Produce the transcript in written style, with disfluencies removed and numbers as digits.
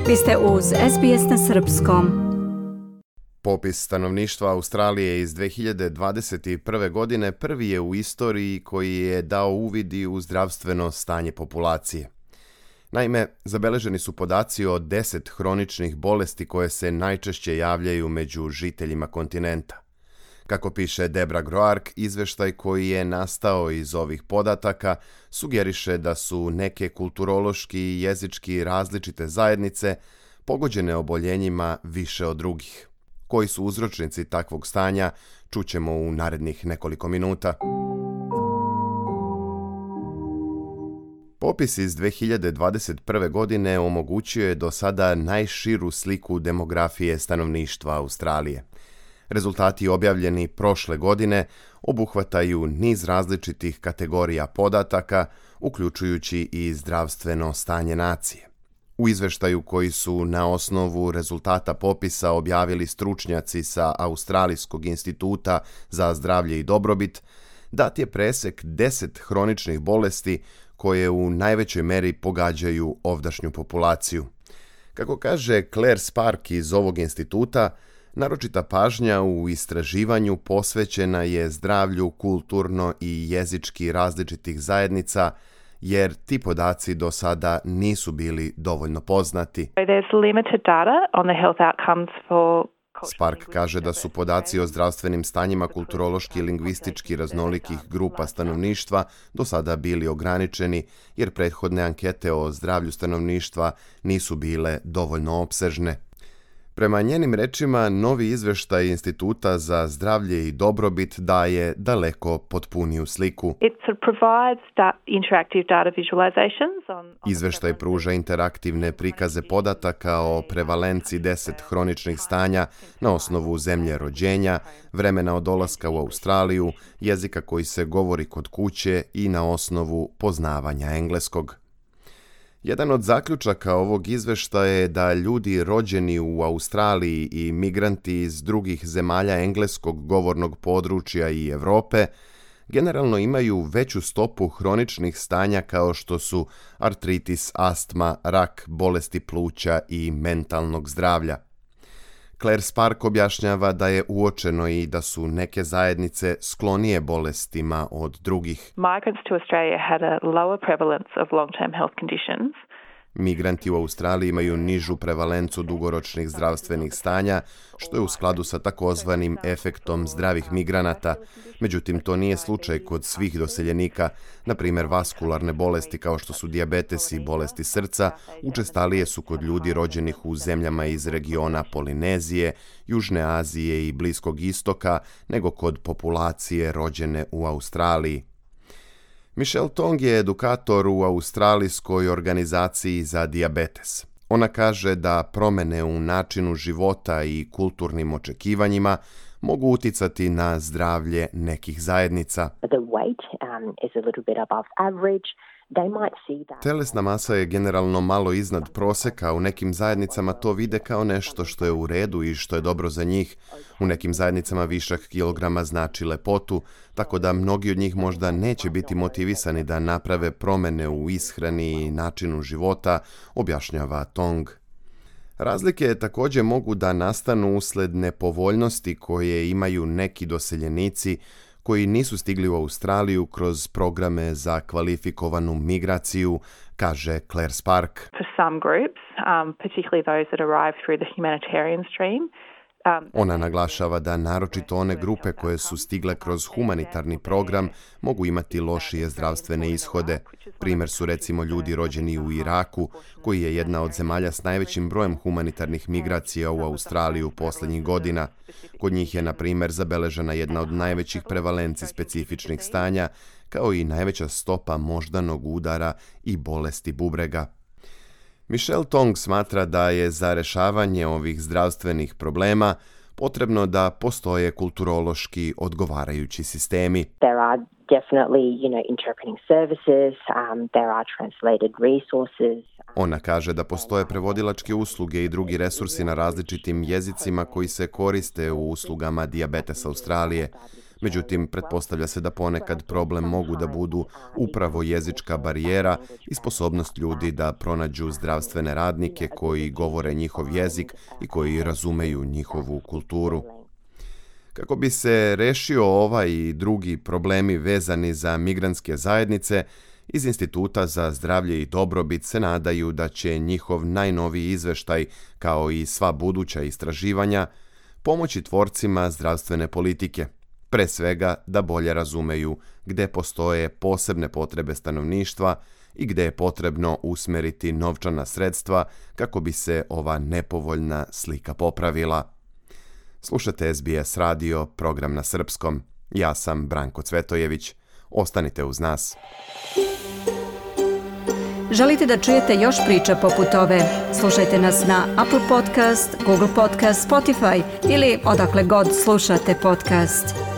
Vi ste uz SBS na srpskom. Popis stanovništva Australije iz 2021. godine prvi je u istoriji koji je dao uvidi u zdravstveno stanje populacije. Naime, zabeleženi su podaci o 10 hroničnih bolesti koje se najčešće javljaju među žiteljima kontinenta. Kako piše Debra Groark, izveštaj koji je nastao iz ovih podataka sugeriše da su neke kulturološki i jezički različite zajednice pogođene oboljenjima više od drugih. Koji su uzročnici takvog stanja, čućemo u narednih nekoliko minuta. Popis iz 2021. godine omogućio je do sada najširu sliku demografije stanovništva Australije. Rezultati objavljeni prošle godine obuhvataju niz različitih kategorija podataka, uključujući i zdravstveno stanje nacije. U izveštaju koji su na osnovu rezultata popisa objavili stručnjaci sa Australijskog instituta za zdravlje i dobrobit, dat je presek 10 hroničnih bolesti koje u najvećoj meri pogađaju ovdašnju populaciju. Kako kaže Claire Spark iz ovog instituta, naročita pažnja u istraživanju posvećena je zdravlju kulturno i jezički različitih zajednica, jer ti podaci do sada nisu bili dovoljno poznati. Spark kaže da su podaci o zdravstvenim stanjima kulturološki i lingvistički raznolikih grupa stanovništva do sada bili ograničeni, jer prethodne ankete o zdravlju stanovništva nisu bile dovoljno opsežne. Prema njenim rečima, novi izveštaj Instituta za zdravlje i dobrobit daje daleko potpuniju sliku. Izveštaj pruža interaktivne prikaze podataka o prevalenciji 10 hroničnih stanja na osnovu zemlje rođenja, vremena od dolaska u Australiju, jezika koji se govori kod kuće i na osnovu poznavanja engleskog. Jedan od zaključaka ovog izveštaja je da ljudi rođeni u Australiji i migranti iz drugih zemalja engleskog govornog područja i Europe generalno imaju veću stopu hroničnih stanja kao što su artritis, astma, rak, bolesti pluća i mentalnog zdravlja. Claire Spark objašnjava da je uočeno i da su neke zajednice sklonije bolestima od drugih. Migranti u Australiji imaju nižu prevalencu dugoročnih zdravstvenih stanja, što je u skladu sa takozvanim efektom zdravih migranata. Međutim, to nije slučaj kod svih doseljenika. Na primjer, vaskularne bolesti kao što su dijabetes i bolesti srca učestalije su kod ljudi rođenih u zemljama iz regiona Polinezije, Južne Azije i Bliskog istoka nego kod populacije rođene u Australiji. Michelle Tong je edukator u Australijskoj organizaciji za dijabetes. Ona kaže da promjene u načinu života i kulturnim očekivanjima mogu uticati na zdravlje nekih zajednica. Telesna masa je generalno malo iznad prosjeka, u nekim zajednicama to vide kao nešto što je u redu i što je dobro za njih. U nekim zajednicama višak kilograma znači lepotu, tako da mnogi od njih možda neće biti motivisani da naprave promjene u ishrani i načinu života, objašnjava Tong. Razlike također mogu da nastanu usled nepovoljnosti koje imaju neki doseljenici koji nisu stigli u Australiju kroz programe za kvalifikovanu migraciju, kaže Claire Spark. Ona naglašava da naročito one grupe koje su stigle kroz humanitarni program mogu imati lošije zdravstvene ishode. Primjer su recimo ljudi rođeni u Iraku, koji je jedna od zemalja s najvećim brojem humanitarnih migracija u Australiju posljednjih godina. Kod njih je, na primjer, zabeležena jedna od najvećih prevalenci specifičnih stanja, kao i najveća stopa moždanog udara i bolesti bubrega. Michelle Tong smatra da je za rješavanje ovih zdravstvenih problema potrebno da postoje kulturološki odgovarajući sistemi. There are definitely, interpreting services, there are translated resources. Ona kaže da postoje prevodilačke usluge i drugi resursi na različitim jezicima koji se koriste u uslugama Dijabetes Australije. Međutim, pretpostavlja se da ponekad problem mogu da budu upravo jezička barijera i sposobnost ljudi da pronađu zdravstvene radnike koji govore njihov jezik i koji razumeju njihovu kulturu. Kako bi se rešio ovaj i drugi problemi vezani za migrantske zajednice, iz Instituta za zdravlje i dobrobit se nadaju da će njihov najnoviji izveštaj, kao i sva buduća istraživanja, pomoći tvorcima zdravstvene politike, pre svega da bolje razumeju gde postoje posebne potrebe stanovništva i gde je potrebno usmeriti novčana sredstva kako bi se ova nepovoljna slika popravila. Slušate SBS radio, program na srpskom. Ja sam Branko Cvetojević. Ostanite uz nas. Želite da čujete još priča poput ove? Slušajte nas na Apple Podcast, Google Podcast, Spotify ili odakle god slušate podcast.